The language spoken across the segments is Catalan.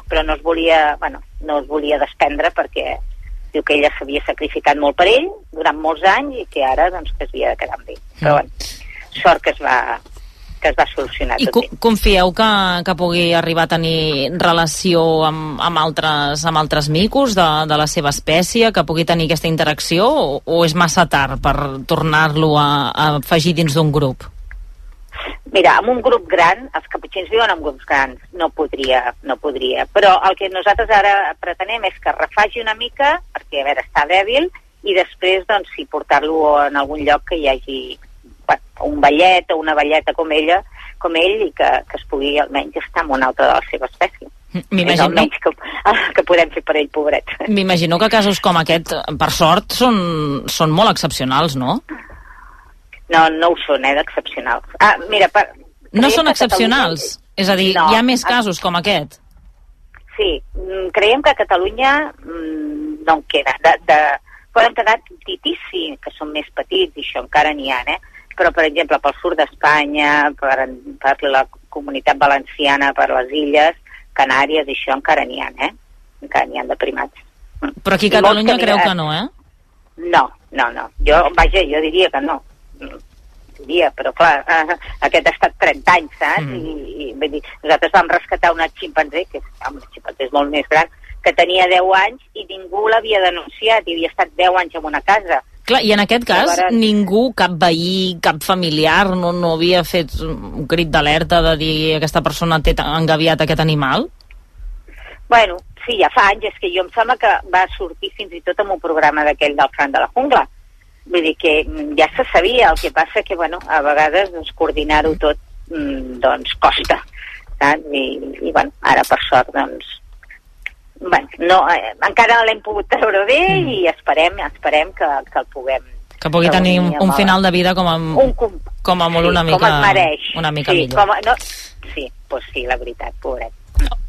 però no es volia desprendre perquè diu que ella s'havia sacrificat molt per ell durant molts anys i que ara doncs, que es havia de quedar amb ell. Però bueno, sort que es va solucionar tot bé. I confieu que pugui arribar a tenir relació amb altres micos de la seva espècie, que pugui tenir aquesta interacció, o és massa tard per tornar-lo a afegir dins d'un grup? Mira, amb un grup gran, els caputxins viuen en grups grans, no podria, però el que nosaltres ara pretenem és que refagi una mica, perquè a veure, està dèbil, i després, doncs, sí, portar-lo en algun lloc que hi hagi un ballet o una balleta com ell, i que es pugui almenys estar en una altra de la seva espècie. És almenys que podem fer per ell, pobret. M'imagino que casos com aquest, per sort, són molt excepcionals, no? No ho són, d'excepcionals. Mira, no són excepcionals? És a dir, no, hi ha més casos com aquest? Sí, creiem que a Catalunya no en queda. Poden quedar titis, sí, que són més petits, i això encara n'hi ha, però, per exemple, pel sud d'Espanya, per la comunitat valenciana, per les illes, Canàries, això encara n'hi ha, encara n'hi ha de primats. Però aquí a Catalunya creu que no, No. Jo diria que no. Però clar, aquest ha estat 30 anys, saps? I vull dir, nosaltres vam rescatar una ximpanzé, que és molt més gran, que tenia 10 anys i ningú l'havia denunciat, i havia estat 10 anys en una casa. Clar, i en aquest cas ningú, cap veí, cap familiar, no havia fet un crit d'alerta de dir aquesta persona té engaviat aquest animal? Bueno, sí, ja fa anys, és que jo em sembla que va sortir fins i tot en un programa d'aquell del Fran de la Jungla. Vull dir que ja se sabia, el que passa que, bueno, a vegades coordinar-ho tot, doncs, costa, saps? I bueno, ara per sort, doncs, bueno, encara no l'hem pogut treure bé i esperem que el puguem... Que pugui tenir un final de vida com a molt una mica millor. Sí, doncs sí, la veritat, pobret.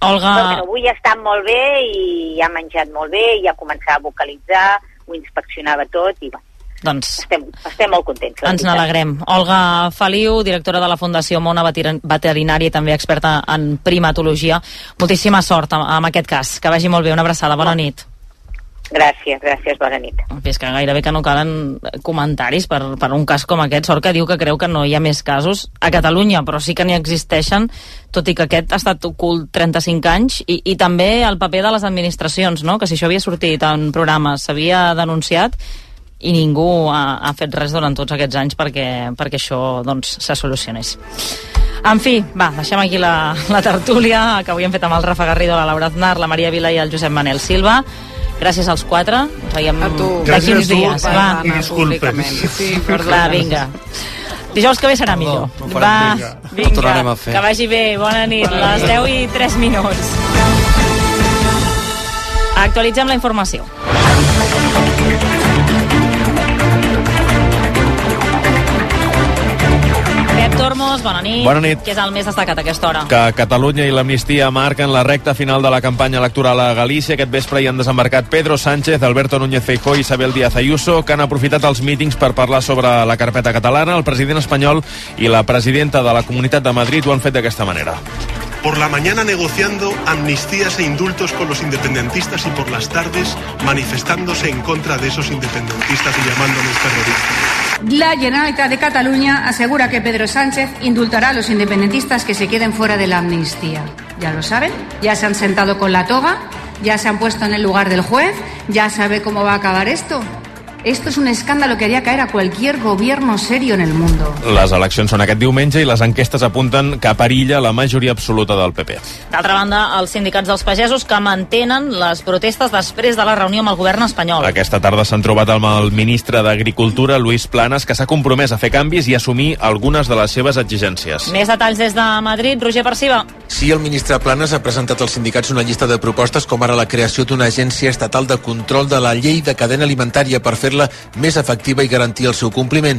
Olga... Però avui ha estat molt bé i ha menjat molt bé i ha començat a vocalitzar, ho inspeccionava tot i bueno, doncs estem molt contents. Ens n'alegrem. Olga Feliu, directora de la Fundació Mona Veterinària i també experta en primatologia. Moltíssima sort amb aquest cas. Que vagi molt bé. Una abraçada. Bona nit. Gràcies, bona nit. És que gairebé que no calen comentaris per un cas com aquest. Sort que diu que creu que no hi ha més casos a Catalunya, però sí que n'hi existeixen, tot i que aquest ha estat ocult 35 anys, i també el paper de les administracions, no? Que si això havia sortit en programes, s'havia denunciat, i ningú ha fet res durant tots aquests anys perquè això doncs se solucionés. En fi, va, deixem aquí la tertúlia que avui hem fet amb el Rafa Garrido, la Laura Aznar, la Maria Vila i el Josep Manel Silva. Gràcies als quatre. Ens veiem d'aquí uns dies. Va, Sí, va, vinga. Dijous que ve serà millor. Va, vinga, que vagi bé. Bona nit, les 10:03. Actualitzem la informació. Tormos, bona nit. Bona nit. Què és el més destacat a aquesta hora? Que Catalunya i l'amnistia marquen la recta final de la campanya electoral a Galícia. Aquest vespre hi han desembarcat Pedro Sánchez, Alberto Núñez Feijóo i Isabel Díaz Ayuso, que han aprofitat els mítings per parlar sobre la carpeta catalana. El president espanyol i la presidenta de la Comunitat de Madrid ho han fet d'aquesta manera. Por la mañana negociando amnistías e indultos con los independentistas y por las tardes manifestándose en contra de esos independentistas y llamándoles terroristas. La Generalitat de Cataluña asegura que Pedro Sánchez indultará a los independentistas que se queden fuera de la amnistía. ¿Ya lo saben? ¿Ya se han sentado con la toga? ¿Ya se han puesto en el lugar del juez? ¿Ya sabe cómo va a acabar esto? Esto es un escándalo que haría caer a cualquier gobierno serio en el mundo. Les eleccions són aquest diumenge i les enquestes apunten que perilla la majoria absoluta del PP. D'altra banda, els sindicats dels pagesos que mantenen les protestes després de la reunió amb el govern espanyol. Aquesta tarda s'han trobat amb el ministre d'Agricultura, Luis Planas, que s'ha compromès a fer canvis i assumir algunes de les seves exigències. Més detalls des de Madrid, Roger Perciba. Sí, el ministre Planas ha presentat als sindicats una llista de propostes com ara la creació d'una agència estatal de control de la llei de cadena alimentària per fer-la més efectiva i garantir el seu compliment.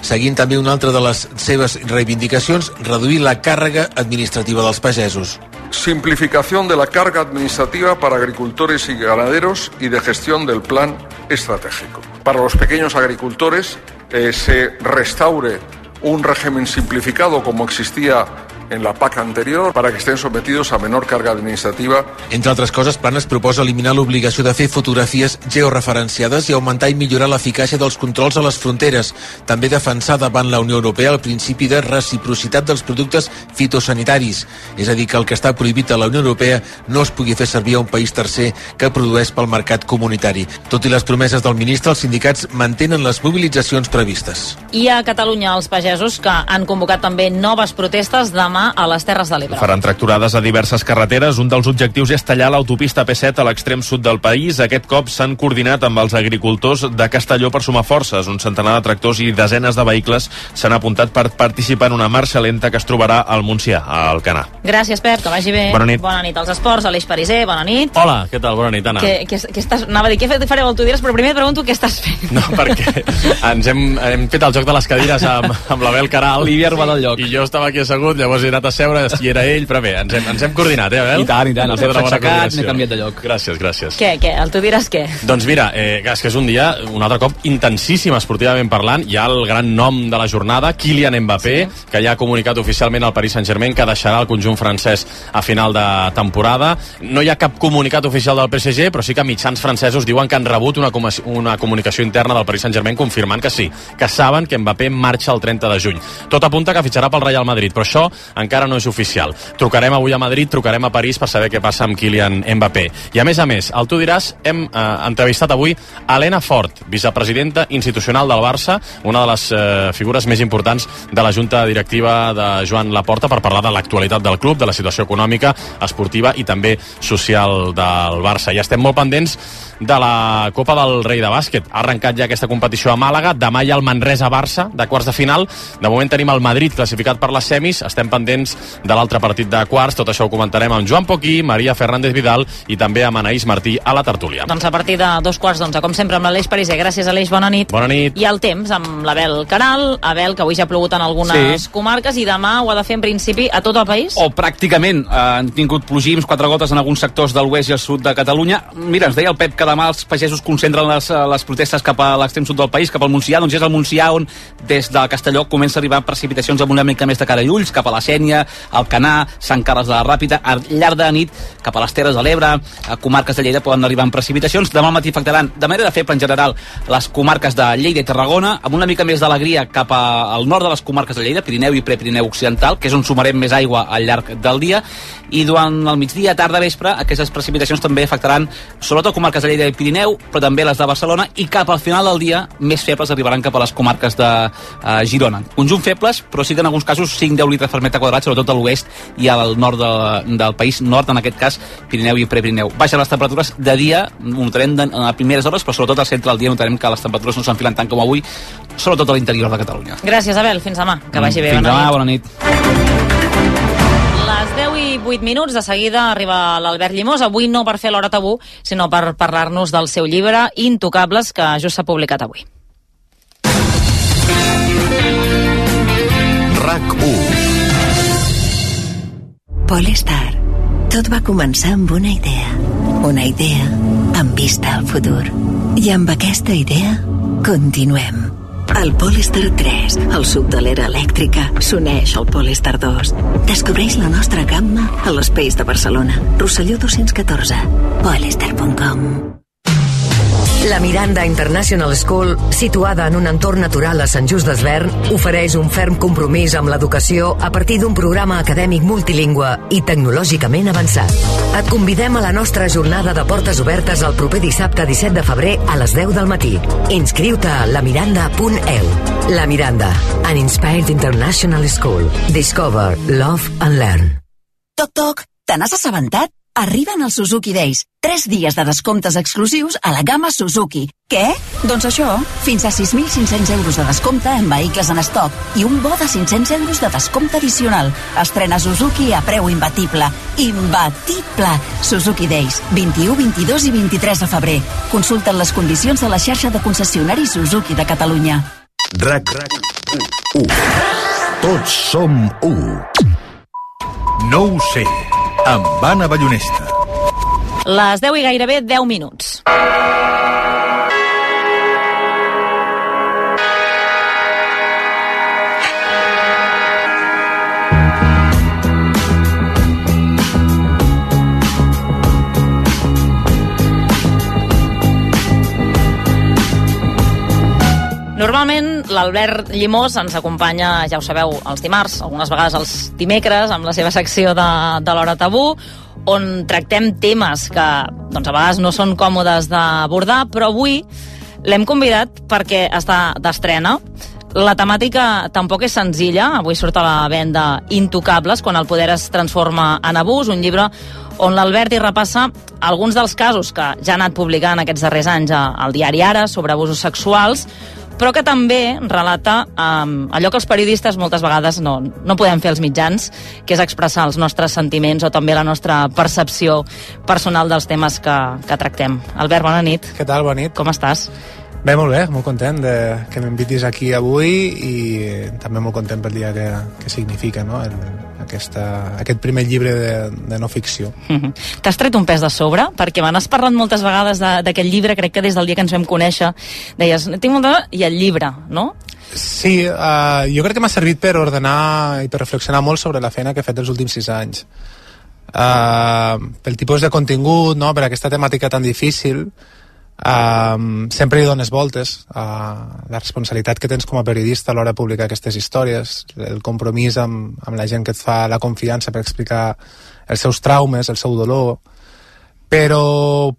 Seguint també una altra de les seves reivindicacions, reduir la càrrega administrativa dels pagesos. Simplificación de la carga administrativa para agricultores y ganaderos y de gestión del plan estratégico. Para los pequeños agricultores se restaure un régimen simplificado como existía en la PAC anterior para que estén sometidos a menor carga administrativa. Entre altres coses, Planas proposa eliminar l'obligació de fer fotografies georreferenciades i augmentar i millorar l'eficàcia dels controls a les fronteres. També defensar davant la Unió Europea el principi de reciprocitat dels productes fitosanitaris, és a dir, que el que està prohibit a la Unió Europea no es pugui fer servir a un país tercer que produeix pel mercat comunitari. Tot i les promeses del ministre, els sindicats mantenen les mobilitzacions previstes. I a Catalunya, els pagesos que han convocat també noves protestes demà a les Terres de l'Ebre. Faran tracturades a diverses carreteres. Un dels objectius és tallar l'autopista P7 a l'extrem sud del país. Aquest cop s'han coordinat amb els agricultors de Castelló per sumar forces. Un centenar de tractors i desenes de vehicles s'han apuntat per participar en una marxa lenta que es trobarà al Montsià, a Alcanar. Gràcies, Pep, que vagi bé. Bona nit. Bona nit als esports. Aleix Pariser, bona nit. Hola, què tal? Bona nit, Anna. Anava a dir, què fareu al Tu diràs, però primer et pregunto què estàs fent. No, perquè hem fet el joc de les cadires amb l'Abel Caral. Li havia robat el lloc. I jo estava aquí assegut, llavors he anat a seure, i era ell, però bé, ens hem coordinat, Abel? I tant. Els hem aixecat, n'he canviat de lloc. Gràcies. Què? El Tu diràs què? Doncs mira, és que és un dia, un altre cop, intensíssim esportivament parlant. Hi ha el gran nom de la jornada, Kylian Mbappé, que ja ha comunicat oficialment al Paris Saint-Germain que deixarà el conjunt francès a final de temporada. No hi ha cap comunicat oficial del PSG, però sí que mitjans francesos diuen que han rebut una comunicació interna del Paris Saint-Germain confirmant que sí, que saben que Mbappé marxa el 30 de juny. Tot apunta que fitxarà pel Real Madrid, però això encara no és oficial. Trucarem avui a Madrid, trucarem a París per saber què passa amb Kylian Mbappé. I a més, al Tu diràs, hem entrevistat avui Elena Fort, vicepresidenta institucional del Barça, una de les figures més importants de la junta directiva de Joan Laporta, per parlar de l'actualitat del club, de la situació econòmica, esportiva i també social del Barça. I estem molt pendents de la Copa del Rei de bàsquet. Ha arrencat ja aquesta competició a Màlaga, demà hi ha el Manresa-Barça de quarts de final. De moment tenim el Madrid classificat per les semis, estem pendents de l'altre partit de quarts. Tot això ho comentarem amb Joan Poquí, Maria Fernández Vidal i també amb Anaïs Martí a la tertúlia. Doncs a partir de 2:15, com sempre, amb l'Aleix Pariser. Gràcies, Aleix, bona nit. Bona nit. I el temps amb l'Abel Caral. Abel, que avui ja ha plogut en algunes comarques i demà ho ha de fer en principi a tot el país? O pràcticament. Han tingut plogims, 4 gotes en alguns sectors de l'oest i el sud de Catalunya. Mira, ens deia el Pep que demà els pagesos concentren les protestes cap a l'extrem sud del país, cap al Montsià. Doncs és el Montsià on des de Castelló comença a arribar precipitacions amb una mica més de cara i ulls, cap a la Sénia, Alcanar, Sant Carles de la Ràpita. Al llarg de la nit, cap a les Terres de l'Ebre, a comarques de Lleida poden arribar amb precipitacions. Demà al matí afectaran de manera feble en general les comarques de Lleida i Tarragona, amb una mica més d'alegria cap al nord de les comarques de Lleida, Pirineu i Prepirineu Occidental, que és on sumarem més aigua al llarg del dia. I durant el migdia, tarda, vespre, aquestes precipitacions també afectaran sobretot comarques de Lleida i Pirineu, però també les de Barcelona, i cap al final del dia més febles arribaran cap a les comarques de Girona. Conjunt febles, però sí que en alguns casos 5-10 litres per metre quadrat, sobretot a l'oest i al nord del país, nord en aquest cas, Pirineu i Prepirineu. Baixen les temperatures de dia, ho notarem a primeres hores, però sobretot al centre del dia notarem que les temperatures no s'enfilen tant com avui, sobretot a l'interior de Catalunya. Gràcies, Abel. Fins demà. Que vagi bé. Fins demà, bona nit. Les 10:08, de seguida arriba l'Albert Llimós, avui no per fer l'hora tabú, sinó per parlar-nos del seu llibre Intocables, que just s'ha publicat avui. RAC1. Polestar. Tot va començar amb una idea amb vista al futur. I amb aquesta idea continuem. El Polestar 3, el sub de l'era elèctrica, s'uneix al Polestar 2. Descobreix la nostra gamma a l'Space de Barcelona. Rosselló 214. Polestar.com. La Miranda International School, situada en un entorn natural a Sant Just Desvern, ofereix un ferm compromís amb l'educació a partir d'un programa acadèmic multilingüe i tecnològicament avançat. Et convidem a la nostra jornada de portes obertes el proper dissabte 17 de febrer a les 10 del matí. Inscriu-te a lamiranda.eu. La Miranda, an inspired international school. Discover, love and learn. Toc, toc, te n'has assabentat? Arriben els Suzuki Days. 3 dies de descomptes exclusius a la gamma Suzuki. Què? Doncs això, fins a 6.500 euros de descompte en vehicles en estoc i un bo de 500 euros de descompte addicional. Estrena Suzuki a preu imbatible. Imbatible! Suzuki Days, 21, 22 i 23 de febrer. Consulten les condicions a la xarxa de concessionaris Suzuki de Catalunya. RAC1. Tots som 1. No ho sé, amb Anna Ballonesta. Les 10 i gairebé 10 minuts. Normalment l'Albert Llimós ens acompanya, ja ho sabeu, els dimarts, algunes vegades els dimecres, amb la seva secció de l'Hora Tabú, on tractem temes que doncs, a vegades no són còmodes d'abordar, però avui l'hem convidat perquè està d'estrena. La temàtica tampoc és senzilla. Avui surt a la venda Intocables, quan el poder es transforma en abús, un llibre on l'Albert hi repassa alguns dels casos que ja ha anat publicant aquests darrers anys al diari Ara sobre abusos sexuals, però que també relata allò que els periodistes moltes vegades no podem fer als mitjans, que és expressar els nostres sentiments o també la nostra percepció personal dels temes que tractem. Albert, bona nit. Què tal? Bona nit. Com estàs? Bé, molt bé, molt content que m'invitis aquí avui i també molt content pel dia que significa, no? Aquest primer llibre de no ficció. T'has tret un pes de sobre? Perquè me n'has parlat moltes vegades d'aquest llibre, crec que des del dia que ens vam conèixer deies, tinc molt de... i el llibre, no? Sí, jo crec que m'ha servit per ordenar i per reflexionar molt sobre la feina que he fet els últims 6 anys. Pel tipus de contingut, no? Per aquesta temàtica tan difícil, sempre hi dones voltes a la responsabilitat que tens com a periodista a l'hora de publicar aquestes històries, el compromís amb la gent que et fa la confiança per explicar els seus traumes, el seu dolor, però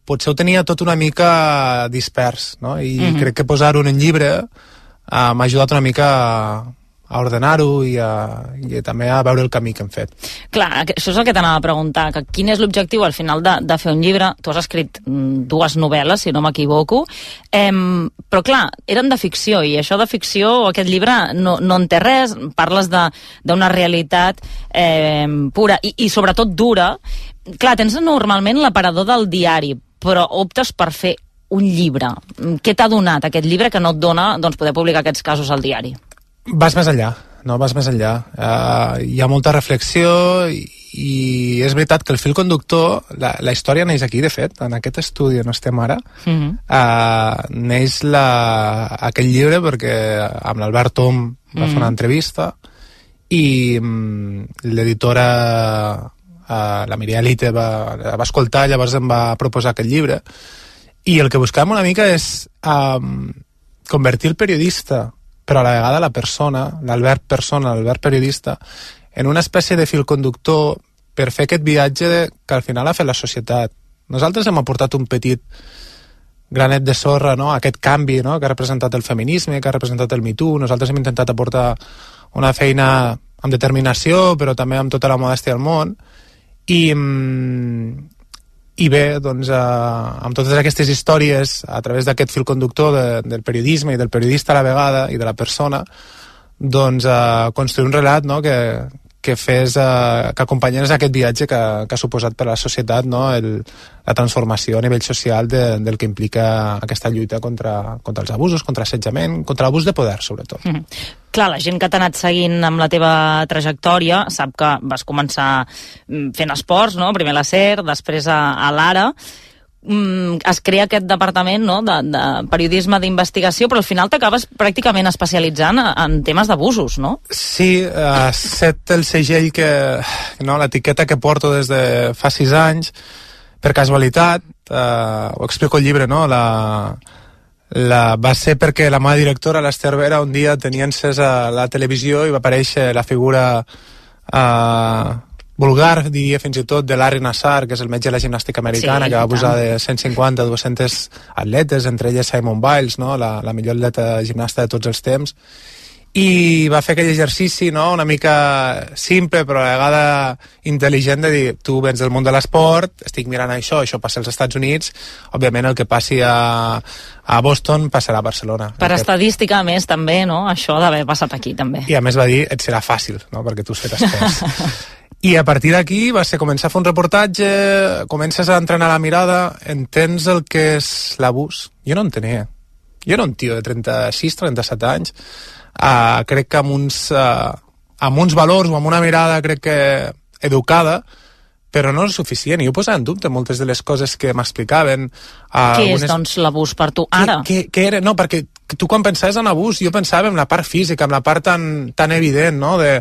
potser ho tenia tot una mica dispers, no? I crec que posar-ho en llibre m'ha ajudat una mica a ordenar-ho i també a veure el camí que hem fet. Clar, això és el que t'anava a preguntar, que quin és l'objectiu al final de fer un llibre? Tu has escrit 2 novel·les, si no m'equivoco, però clar, eren de ficció, i això de ficció, aquest llibre no en té res, parles d'una realitat pura i sobretot dura. Clar, tens normalment l'aparador del diari, però optes per fer un llibre. Què t'ha donat aquest llibre que no et dona poder publicar aquests casos al diari? Vas més enllà, no? Vas més enllà. Hi ha molta reflexió i és veritat que el fil conductor, la història neix aquí, de fet, en aquest estudi on estem ara. Neix aquest llibre perquè amb l'Albert Tom va fer una entrevista i l'editora, la Mireia Lite, va escoltar, llavors em va proposar aquest llibre. I el que buscàvem una mica és convertir el periodista, però a la vegada la persona, l'Albert persona, l'Albert periodista, en una espècie de fil conductor per fer aquest viatge que al final ha fet la societat. Nosaltres hem aportat un petit granet de sorra, no? Aquest canvi, no? Que ha representat el feminisme, que ha representat el Me Too. Nosaltres hem intentat aportar una feina amb determinació, però també amb tota la modèstia del món. I bé, doncs, amb totes aquestes històries, a través d'aquest fil conductor del periodisme i del periodista a la vegada i de la persona, doncs construir un relat, no? que acompanyés aquest viatge que ha suposat per a la societat, no? La transformació a nivell social del que implica aquesta lluita contra els abusos, contra l'assetjament, contra l'abús de poder, sobretot. Clar, la gent que t'ha anat seguint amb la teva trajectòria sap que vas començar fent esports, no? Primer a la SER, després a l'Ara. Es crea aquest departament, no? de periodisme d'investigació, però al final t'acabes pràcticament especialitzant en temes d'abusos, no? Sí, set el segell l'etiqueta que porto des de fa 6 anys, per casualitat, ho explico al llibre, no? Va ser perquè la meva directora, l'Ester Vera, un dia tenia encesa la televisió i va aparèixer la figura vulgar, diria fins i tot, de Larry Nassar, que és el metge de la gimnàstica americana, que va abusar de 150 200 atletes, entre elles Simone Biles, no? la millor atleta gimnasta de tots els temps, i va fer aquell exercici, no? Una mica simple però a la vegada intel·ligent, de dir, tu vens del món de l'esport, estic mirant això passa als Estats Units, òbviament el que passi a Boston passarà a Barcelona. Per estadística, a més, també, no? Això d'haver passat aquí, també. I a més va dir, et serà fàcil, no? Perquè tu has fet esports. I a partir d'aquí va ser començar a fer un reportatge, comences a entrenar la mirada, entens el que és l'abús. Jo no en tenia. Jo era un tio de 36, 37 anys, crec que amb uns valors o amb una mirada, crec que educada, però no és suficient. I jo posava en dubte moltes de les coses que m'explicaven. Què és, doncs, l'abús per tu ara? Què era? No, perquè tu quan pensaves en abús, jo pensava en la part física, en la part tan evident, no?, de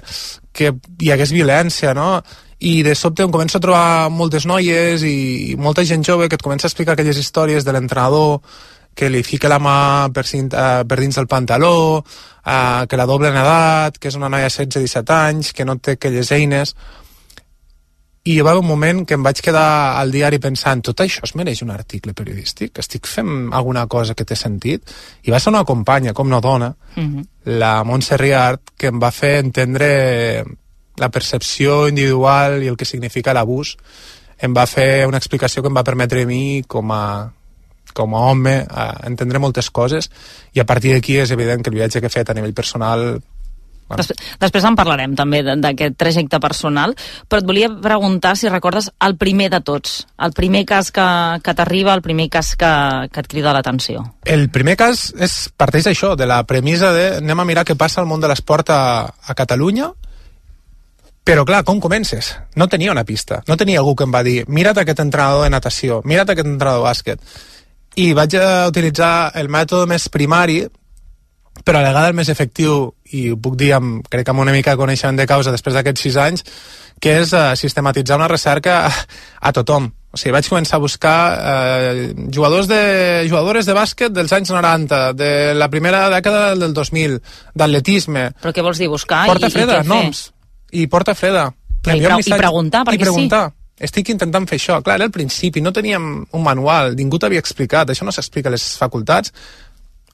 que hi hagués violència, no? I de sobte em començo a trobar moltes noies i molta gent jove que et comença a explicar aquelles històries de l'entrenador que li fica la mà per dins del pantaló, que la doble en edat, que és una noia de 16-17 anys, que no té aquelles eines. I hi va haver un moment que em vaig quedar al diari pensant, tot això es mereix un article periodístic? Estic fent alguna cosa que té sentit? I va ser una companya, com no dona, la Montse Riart, que em va fer entendre la percepció individual i el que significa l'abús. Em va fer una explicació que em va permetre a mi, com a home, entendre moltes coses, i a partir d'aquí és evident que el viatge que he fet a nivell personal... Després en parlarem també d'aquest trajecte personal, però et volia preguntar si recordes el primer de tots, el primer cas que t'arriba, el primer cas que et crida l'atenció. El primer cas parteix d'això, de la premissa de anem a mirar què passa al món de l'esport a Catalunya, però clar, com comences? No tenia una pista, no tenia algú que em va dir mira't aquest entrenador de natació, mira't aquest entrenador de bàsquet, i vaig utilitzar el mètode més primari, però a la vegada el més efectiu, i ho puc dir crec que amb una mica de coneixement de causa després d'aquests 6 anys, que és sistematitzar una recerca a tothom. O sigui, vaig començar a buscar jugadores de bàsquet dels anys 90, de la primera dècada del 2000, d'atletisme. Però què vols dir, buscar? Porta freda, noms. I porta freda. I preguntar, perquè preguntar. Estic intentant fer això. Clar, era el principi, no teníem un manual, ningú t'havia explicat, això no s'explica a les facultats.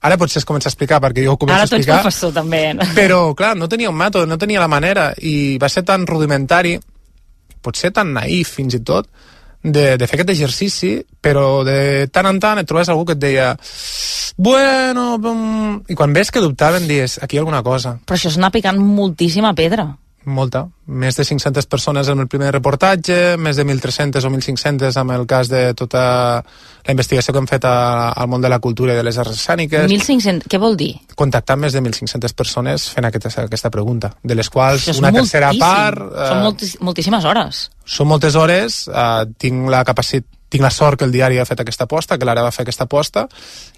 Ara potser es comença a explicar perquè jo ho començo a explicar. Ara tu ets professor també. Però, clar, no tenia un mètode, no tenia la manera, i va ser tan rudimentari, potser tan naïf fins i tot, de fer aquest exercici, però de tant en tant et trobes algú que et deia bueno... I quan ves que dubtaven, dius, aquí hi ha alguna cosa. Però això és anar picant moltíssima pedra. Molta. Més de 500 persones en el primer reportatge, més de 1.300 o 1.500 amb el cas de tota la investigació que hem fet al món de la cultura i de les arts escèniques. 1.500, què vol dir? Contactar més de 1.500 persones fent aquesta pregunta, de les quals una tercera part... Són moltíssimes hores. Són moltes hores, tinc la sort que el diari ha fet aquesta aposta, que l'Ara va fer aquesta aposta,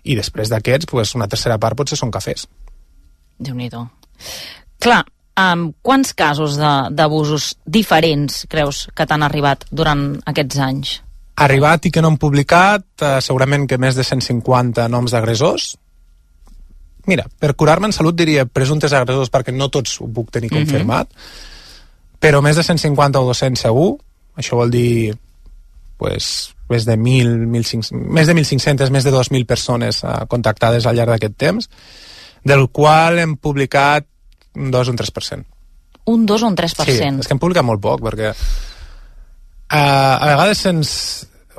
i després d'aquests, una tercera part potser són cafès. Déu-n'hi-do. Clar, quants casos d'abusos diferents creus que t'han arribat durant aquests anys? Arribat i que no han publicat, segurament que més de 150 noms d'agressors. Mira, per curar-me en salut diria presumptes agressors, perquè no tots ho puc tenir confirmat, però més de 150 o 200 segur. Això vol dir més de 1.500, més de 2.000 persones contactades al llarg d'aquest temps, del qual hem publicat un 2 o un 3%. Un 2 o un 3%? Sí, és que hem publicat molt poc, perquè a vegades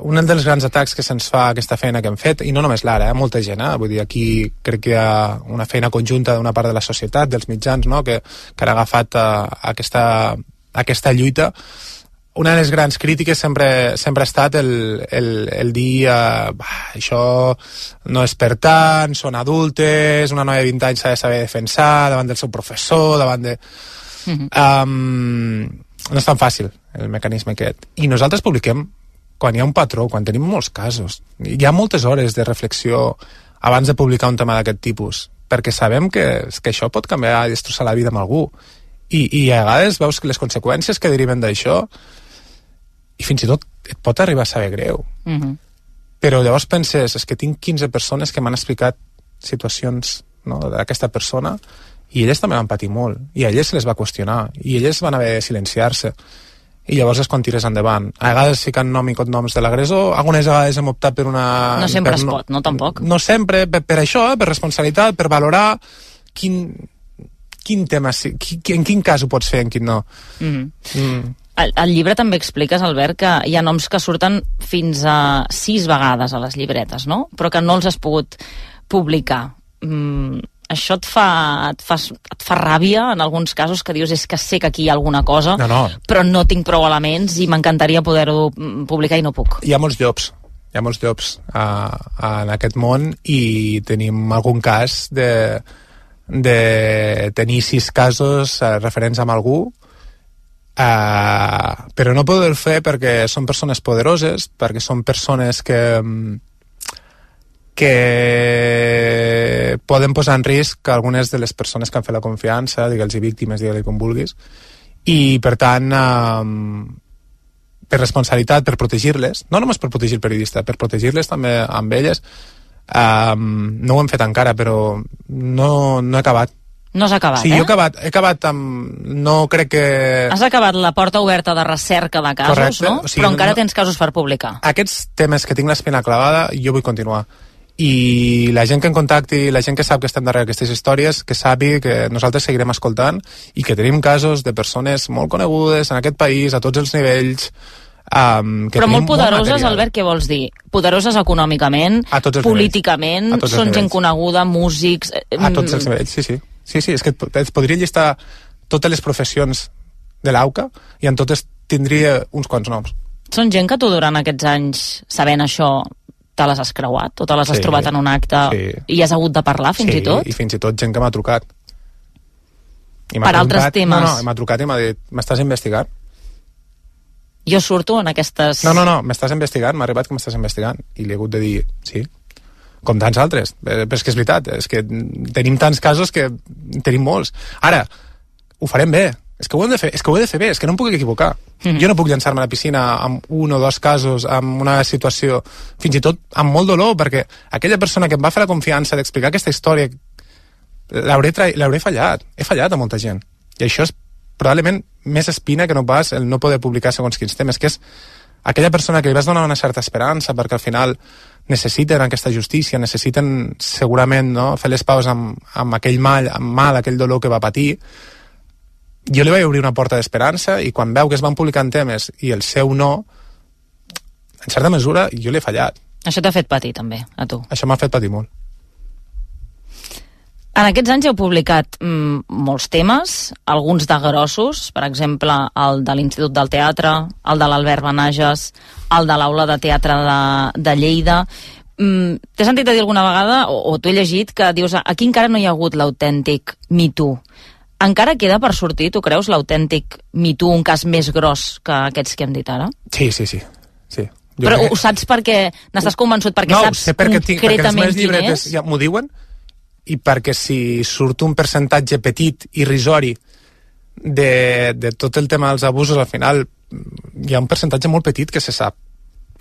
un dels grans atacs que se'ns fa aquesta feina que hem fet, i no només l'Ara, molta gent, vull dir, aquí crec que hi ha una feina conjunta d'una part de la societat, dels mitjans, no?, que han agafat aquesta lluita. Una de les grans crítiques sempre ha estat el dir això no és per tant, són adultes, una noia de 20 anys s'ha de saber defensar davant del seu professor, davant de... no és tan fàcil el mecanisme aquest. I nosaltres publiquem quan hi ha un patró, quan tenim molts casos. Hi ha moltes hores de reflexió abans de publicar un tema d'aquest tipus, perquè sabem que això pot canviar i destrossar la vida amb algú. I a vegades veus que les conseqüències que deriven d'això, i fins i tot et pot arribar a saber greu. Però llavors penses, és que tinc 15 persones que m'han explicat situacions, no, d'aquesta persona, i elles també van patir molt, i a elles se les va qüestionar, i elles van haver de silenciar-se, i llavors és quan tires endavant. A vegades ficant nom i cognoms de l'agressor, algunes vegades hem optat per una... No sempre es pot, no tampoc. No sempre, per això, per responsabilitat, per valorar quin tema, en quin cas ho pots fer, en quin no. Al llibre també expliques, Albert, que hi ha noms que surten fins a 6 vegades a les llibretes, no? Però que no els has pogut publicar. Això et fa ràbia en alguns casos, que dius és que sé que aquí hi ha alguna cosa, però no tinc prou elements i m'encantaria poder-ho publicar i no puc. Hi ha molts llops en aquest món, i tenim algun cas de tenir 6 casos referents amb algú, però no poder fer perquè són persones poderoses, perquè són persones que poden posar en risc algunes de les persones que han fet la confiança, digue'ls víctimes, digue-li com vulguis, i per tant per responsabilitat, per protegir-les, no només per protegir el periodista, per protegir-les també amb elles, No ho hem fet encara, però no he acabat. No has acabat, sí, jo he acabat amb... No crec que... Has acabat la porta oberta de recerca de casos, correcte, no? O sigui, però encara tens casos per publicar. Aquests temes que tinc l'espina clavada, jo vull continuar. I la gent que em contacti, la gent que sap que estem darrere d'aquestes històries, que sàpiga que nosaltres seguirem escoltant i que tenim casos de persones molt conegudes en aquest país, a tots els nivells... Però molt poderoses, Albert, què vols dir? Poderoses econòmicament, políticament, són gent coneguda, músics... A tots els nivells, sí, és que et podria llistar totes les professions de l'AUCA i en totes tindria uns quants noms. Són gent que tu durant aquests anys, sabent això, te les has creuat o te les has trobat en un acte i has hagut de parlar fins i tot? Sí, i fins i tot gent que m'ha trucat. Per altres temes? No, m'ha trucat i m'ha dit, m'estàs investigant? Jo surto en aquestes... No, m'estàs investigant, m'ha arribat que m'estàs investigant. I li he hagut de dir, sí, com tants altres. Però és que és veritat, és que tenim tants casos que tenim molts. Ara, ho farem bé, és que ho hem de fer, bé, és que no em puc equivocar. Jo no puc llançar-me a la piscina amb un o dos casos, amb una situació, fins i tot amb molt dolor, perquè aquella persona que em va fer la confiança d'explicar aquesta història, l'hauré fallat. He fallat a molta gent. I això és probablement més espina que no pas el no poder publicar segons quins temes, que és aquella persona que li vas donar una certa esperança perquè al final necessiten aquesta justícia, necessiten segurament fer les paus amb aquell mal, aquell dolor que va patir. Jo li vaig obrir una porta d'esperança i quan veu que es van publicant temes i el seu no, en certa mesura jo l'he fallat. Això t'ha fet patir també, a tu? Això m'ha fet patir molt. En aquests anys heu publicat molts temes, alguns de grossos, per exemple, el de l'Institut del Teatre, el de l'Albert Benages, el de l'Aula de Teatre de Lleida. T'he sentit a dir alguna vegada, o t'ho he llegit, que dius aquí encara no hi ha hagut l'autèntic Me Too. Encara queda per sortir, tu creus, l'autèntic Me Too, un cas més gros que aquests que hem dit ara? Sí. Però ho saps perquè n'estàs convençut, perquè saps concretament perquè els meus quin llibretes és? ja m'ho diuen, i perquè si surt un percentatge petit, irrisori, de tot el tema dels abusos, al final hi ha un percentatge molt petit que se sap.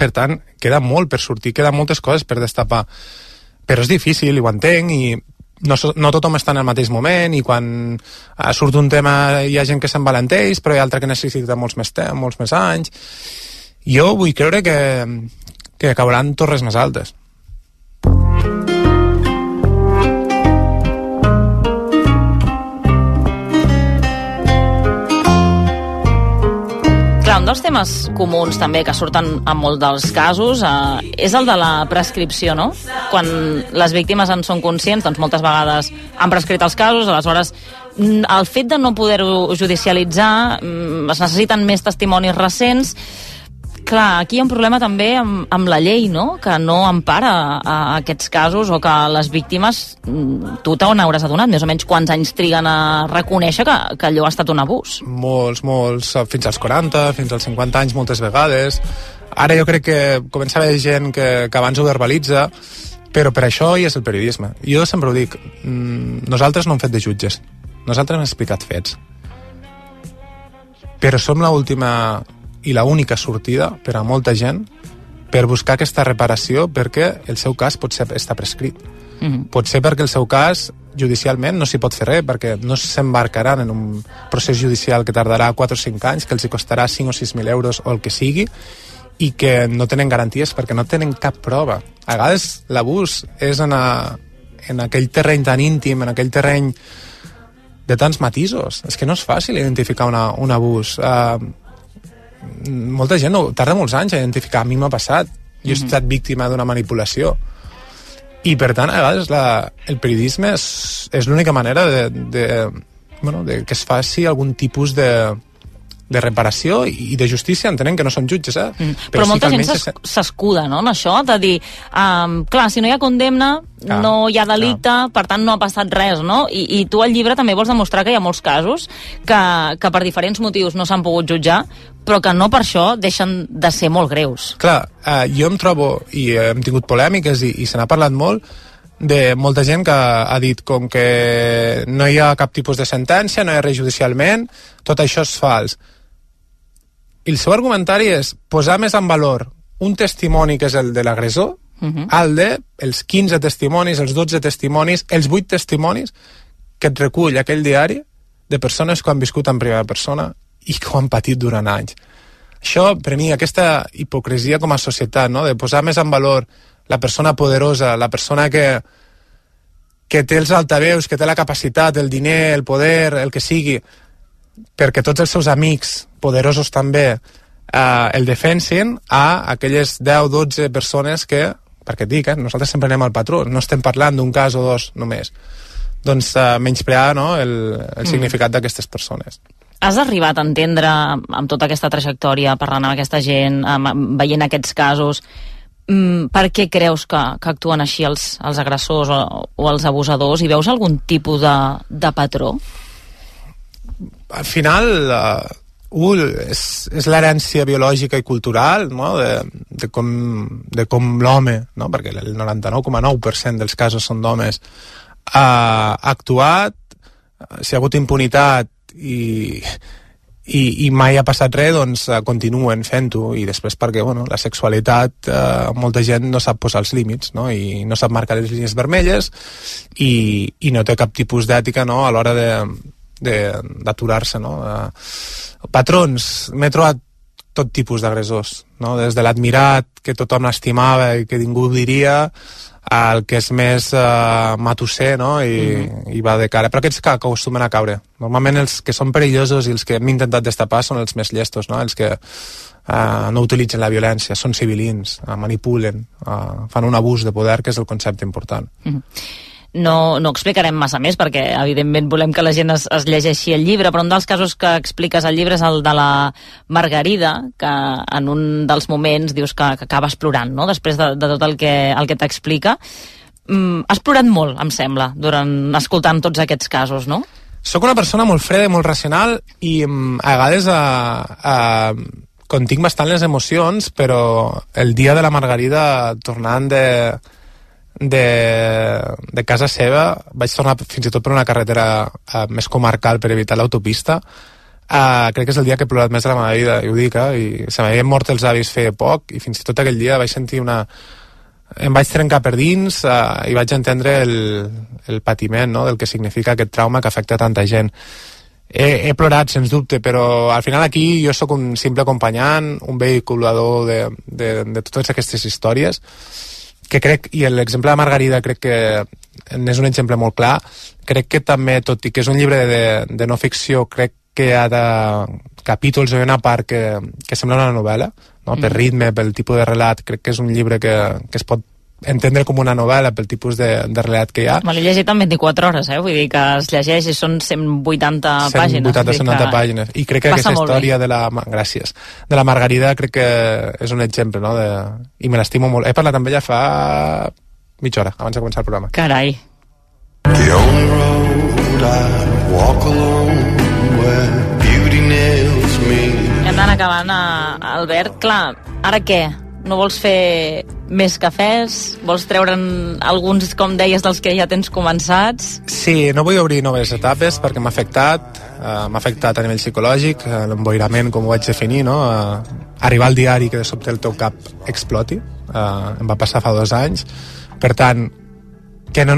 Per tant, queda molt per sortir, queden moltes coses per destapar. Però és difícil, i ho entenc, i no tothom està en el mateix moment, i quan surt un tema hi ha gent que s'envalenteix, però hi ha altra que necessita molts més anys. Jo vull creure que cauran torres més altes. Un dels temes comuns també que surten en molts dels casos és el de la prescripció, no? Quan les víctimes en són conscients, doncs moltes vegades han prescrit els casos, aleshores el fet de no poder-ho judicialitzar, es necessiten més testimonis recents. Clar, aquí hi ha un problema també amb la llei, no? Que no empara a aquests casos, o que les víctimes, tu t'on hauràs adonat, més o menys quants anys triguen a reconèixer que allò ha estat un abús? Molts, fins als 40, fins als 50 anys moltes vegades. Ara jo crec que comença a haver gent que abans ho verbalitza, però per això hi és el periodisme. Jo sempre ho dic, nosaltres no hem fet de jutges, nosaltres hem explicat fets. Però som l'última i la única sortida per a molta gent per buscar aquesta reparació, perquè el seu cas potser està prescrit. Pot ser perquè el seu cas judicialment no s'hi pot fer res, perquè no s'embarcaran en un procés judicial que tardarà 4 o 5 anys, que els hi costarà 5 o 6.000 euros o el que sigui, i que no tenen garanties perquè no tenen cap prova. A vegades l'abús és en aquell terreny tan íntim, en aquell terreny de tants matisos. És que no és fàcil identificar un abús. Molta gent tarda molts anys a identificar. A mi m'ha passat, jo he estat víctima d'una manipulació, i per tant a vegades el periodisme és l'única manera de que es faci algun tipus de reparació i de justícia. Entenem que no són jutges, però molta gent s'escuda, no?, en això, de dir clar, si no hi ha condemna no hi ha delicte, per tant no ha passat res, no? I tu al llibre també vols demostrar que hi ha molts casos que per diferents motius no s'han pogut jutjar, però que no per això deixen de ser molt greus. Clar, jo em trobo, i hem tingut polèmiques i se n'ha parlat molt, de molta gent que ha dit com que no hi ha cap tipus de sentència, no hi ha res judicialment, tot això és fals. I el seu argumentari és posar més en valor un testimoni que és el de l'agressor el de els 15 testimonis, els 12 testimonis, els 8 testimonis que et recull aquell diari de persones que han viscut en primera persona i que ho han patit durant anys. Això, per mi, aquesta hipocresia com a societat, no? De posar més en valor la persona poderosa, la persona que té els altaveus, que té la capacitat, el diner, el poder, el que sigui, perquè tots els seus amics, poderosos també, el defensin, a aquelles 10-12 persones que, perquè et dic, nosaltres sempre anem al patró, no estem parlant d'un cas o dos només. Doncs menysprear, no, el significat d'aquestes persones. Has arribat a entendre, amb tota aquesta trajectòria, parlant amb aquesta gent, veient aquests casos, per què creus que actuen així els agressors o els abusadors, i veus algun tipus de patró? Al final, és l'herència biològica i cultural, no? de com l'home, no? Perquè el 99,9% dels casos són d'homes, ha actuat, si ha hagut impunitat i mai ha passat res, doncs continuen fent-ho, i després perquè la sexualitat, molta gent no sap posar els límits, no? I no sap marcar les línies vermelles i no té cap tipus d'ètica, no? A l'hora d'aturar-se, no? Patrons, m'he trobat tot tipus d'agressors, no? Des de l'admirat, que tothom l'estimava i que ningú diria, el que és més matusser, no? I va de cara. Però aquests que acostumen a caure. Normalment els que són perillosos i els que hem intentat destapar són els més llestos, no? Els que no utilitzen la violència, són civilins, manipulen, fan un abús de poder, que és el concepte important. No explicarem massa més, perquè evidentment volem que la gent es llegeixi el llibre, però un dels casos que expliques al llibre és el de la Margarida, que en un dels moments dius que acabes plorant, no? Després de tot el que t'explica. Has plorat molt, em sembla, escoltant tots aquests casos, no? Soc una persona molt freda i molt racional, i a vegades continc bastant les emocions, però el dia de la Margarida, tornant de casa seva, vaig tornar fins i tot per una carretera més comarcal per evitar l'autopista. Crec que és el dia que he plorat més de la meva vida, i ho dic, i se m'havien mort els avis feia poc, i fins i tot aquell dia vaig sentir em vaig trencar per dins, i vaig entendre el patiment, no?, del que significa aquest trauma que afecta tanta gent. He plorat, sens dubte, però al final aquí jo sóc un simple acompanyant, un vehiculador de totes aquestes històries, que crec, i l'exemple de Margarida crec que és un exemple molt clar. Crec que també, tot i que és un llibre de no ficció, crec que hi ha capítols o una part que sembla una novel·la, no? Per ritme, pel tipus de relat. Crec que és un llibre que es pot entendre com una novel·la pel tipus de relat que hi ha. Me l'he llegit en 24 hores, vull dir que es llegeix i són 180 pàgines. 180 pàgines. I crec que aquesta història de la Margarida crec que és un exemple, no? I me l'estimo molt. He parlat amb ella fa mitja hora, abans de començar el programa. Carai. Hem d'anar acabant, Albert. Clar, ara què? No vols fer més cafès? Vols treure'n alguns, com deies, dels que ja tens començats? Sí, no vull obrir noves etapes perquè m'ha afectat a nivell psicològic, l'emboirament, com ho vaig definir, no? Arribar al diari que de sobte el teu cap exploti, em va passar fa 2 anys. Per tant, que no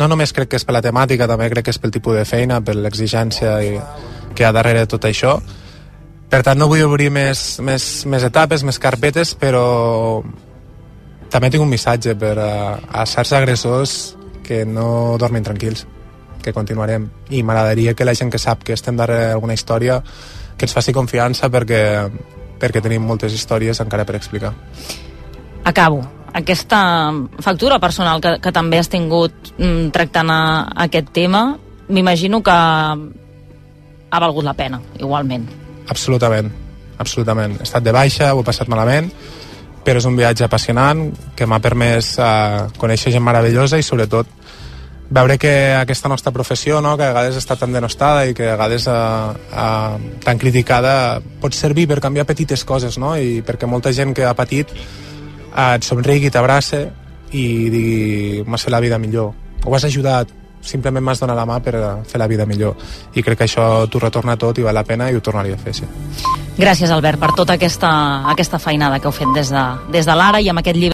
només crec que és per la temàtica, també crec que és pel tipus de feina, per l'exigència que hi ha darrere de tot això. Per tant, no vull obrir més etapes, més carpetes, però també tinc un missatge per a certs agressors que no dormin tranquils, que continuarem. I m'agradaria que la gent que sap que estem darrere d'alguna història que ens faci confiança perquè tenim moltes històries encara per explicar. Acabo. Aquesta factura personal que també has tingut tractant aquest tema, m'imagino que ha valgut la pena, igualment. Absolutament. He estat de baixa, ho he passat malament, però és un viatge apassionant que m'ha permès conèixer gent meravellosa i sobretot veure que aquesta nostra professió, no, que a vegades està tan denostada i que a vegades tan criticada, pot servir per canviar petites coses, no? I perquè molta gent que ha patit et somrigui, t'abrace i digui, m'has fet la vida millor, o has ajudat, simplement m'has donat la mà per fer la vida millor. I crec que això t'ho retorna tot i val la pena i ho tornaria a fer, sí. Gràcies, Albert, per tota aquesta feinada que heu fet des de l'ara i amb aquest llibre